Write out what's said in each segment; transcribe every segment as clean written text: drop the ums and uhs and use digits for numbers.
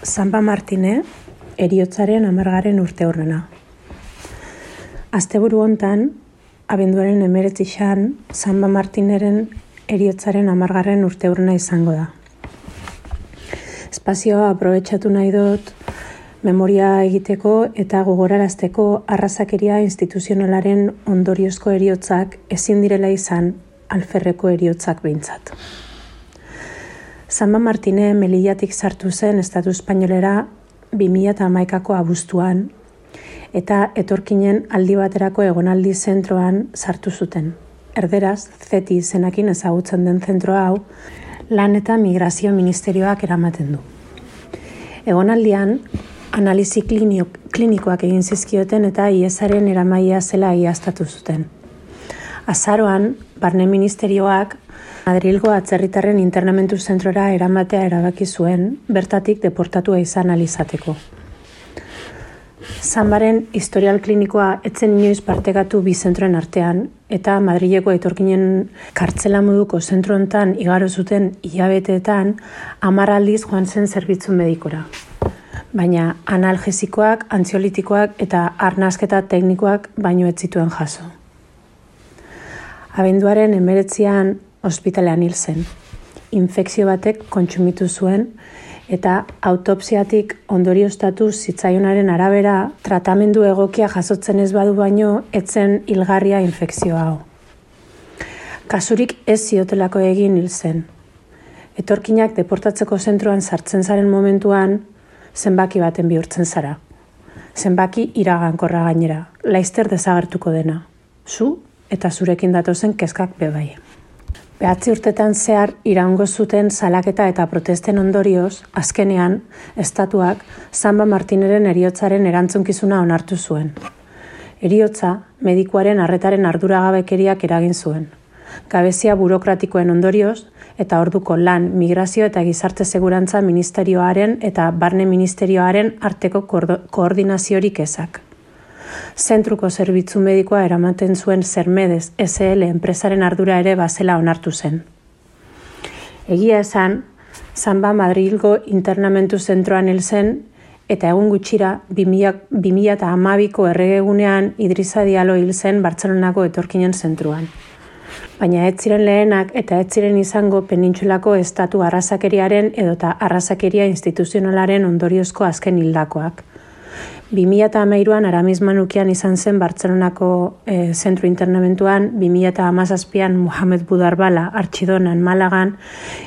Sanba Martine, heriotzaren 10. urteurrena. Asteburu hontan, abenduaren 19an, Sanba Martineren heriotzaren 10. urteurrena izango da. Espazioa aprobetxatu nahi dut memoria egiteko eta gogorarazteko arrazakeria instituzionalaren ondoriozko heriotzak ezin direla izan alferreko heriotzak behintzat. Sanba Martine Melillatik sartu zen Estatu Espainolera 2011ko abuztuan eta etorkinen aldi baterako egonaldi zentroan sartu zuten. Erderaz, CETI izenakin ezagutzen den zentro hau, Lan eta Migrazio Ministerioak eramaten du. Egonaldian, analizi klinikoak egin zizkioten eta IESaren eramailea zela egiaztatu zuten. Azaroan, Barne Ministerioak Madrilgo atzerritarren internamentu zentrora eramatea erabaki zuen, bertatik deportatua izan alizateko. Sanbaren historial klinikoa etzen inoiz partekatu bi zentroen artean, eta Madrileko etorkinen kartzela moduko zentro hontan igaro zuten hilabeteetan 10 aldiz joan zen zerbitzu medikora. Baina analgesikoak, antziolitikoak eta arnasketa teknikoak baino ez zituen jaso. Abenduaren 19an ospitalean hil zen. Infekzio batek kontsumitu zuen eta autopsiatik ondorioztatu zitzaionaren arabera tratamendu egokia jasotzen ez badu baino etzen hilgarria infekzio hau. Kasurik ez ziotelako egin hil zen. Etorkinak deportatzeko zentroan sartzen zaren momentuan zenbaki baten bihurtzen zara. Zenbaki iragankorra gainera, laizter desagertuko dena. Zu eta zurekin datozen kezkak bebai. 9 urtetan zehar iraungo zuten salaketa eta protesten ondorioz, azkenean, estatuak Sanba Martineren heriotzaren erantzunkizuna onartu zuen. Heriotza, medikuaren arretaren arduragabekeriak eragin zuen. Gabezia burokratikoen ondorioz, eta orduko Lan, Migrazio eta Gizarte Segurantza Ministerioaren eta Barne Ministerioaren arteko koordinaziorik ezak. Zentruko zerbitzu medikoa eramaten zuen Sermedes SL enpresaren ardura ere bazela onartu zen. Egia esan, Sanba Madrilgo internamentu zentroan hil zen eta egun gutxira 2012ko erregegunean Idrissa Diallo hil zen Bartzelonako etorkinen zentruan. Baina ez ziren lehenak eta ez ziren izango penintsulako estatu arrazakeriaren edota arrazakeria instituzionalaren ondoriozko azken hildakoak. 2013an Aramis Manukian izan zen Bartzelonako zentro internamentuan, 2017an Mohamed Boudarbala Artxidonan Malagan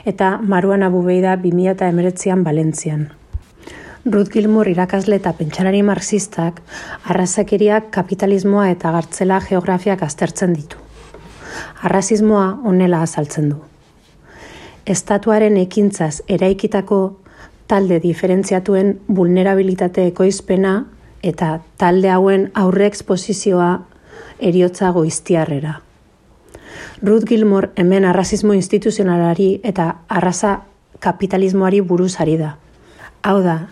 eta Marouane Aboubeida 2019an Valentzian. Ruth Gilmour irakasle eta pentsalari marxistak arrazakeriak, kapitalismoa eta gartzela geografiak aztertzen ditu. Arrazismoa honela azaltzen du. Estatuaren ekintzaz eraikitako talde diferentziatuen vulnerabilitate ekoizpena eta talde hauen aurre eksposizioa heriotza goiztiarrera. Ruth Gilmour hemen arrazismo instituzionalari eta arraza kapitalismoari buruz ari da. Hau da,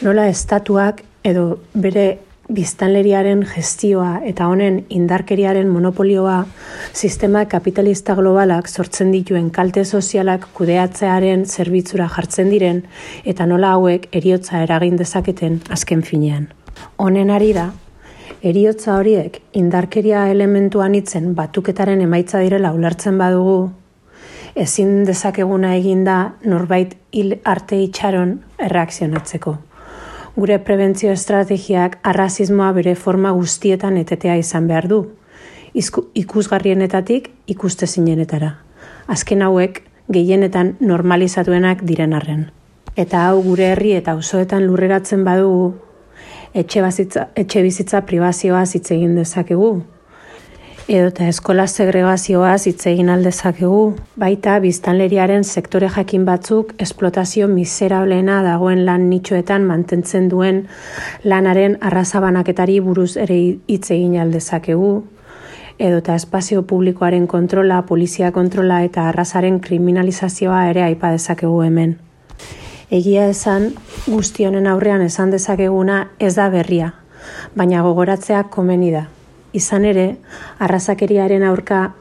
nola estatuak edo bere biztanleriaren gestioa eta honen indarkeriaren monopolioa sistema kapitalista globalak sortzen dituen kalte sozialak kudeatzearen zerbitzura jartzen diren eta nola hauek heriotza eragin dezaketen azken finean. Honen ari da, heriotza horiek indarkeria elementuan itzen batuketaren emaitza direla ulertzen badugu, ezin dezakeguna eginda norbait hil arte itxaron erreakzionatzeko. Gure prebentzio estrategiak arrazismoa bere forma guztietan etetea izan behar du, ikusgarrienetatik ikustezinenetara. Azken hauek gehienetan normalizatuenak diren arren. Eta hau gure herri eta auzoetan lurreratzen badugu, etxe bizitza pribazioaz hitz egin dezakegu, edota eskola segregazioaz hitz egin aldezakegu, baita biztanleriaren sektore jakin batzuk esplotazio miserableena dagoen lan nitxoetan mantentzen duen lanaren arrazabanaketari buruz ere hitz egin aldezakegu, edota espazio publikoaren kontrola, polizia kontrola eta arrazaren kriminalizazioa ere aipa dezakegu hemen. Egia esan, guzti honen aurrean esan dezakeguna ez da berria, baina gogoratzea komeni da. Izan ere, arrazakeriaren aurka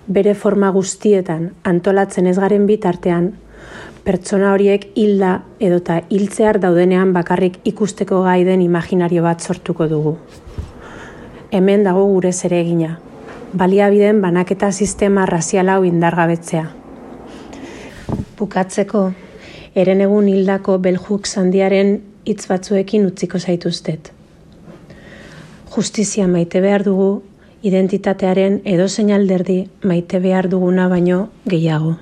bere forma guztietan antolatzen ez garen bitartean, pertsona horiek hilda edota hiltzear daudenean bakarrik ikusteko gai den imaginario bat sortuko dugu. Hemen dago gure zeregina, baliabideen banaketa sistema razial hau indargabetzea. Bukatzeko, herenegun hildako Belhuk Sandiaren hitz batzuekin utziko zaituztet. Justizia maite behar dugu, identitatearen edozein alderdi maite behar duguna baino gehiago.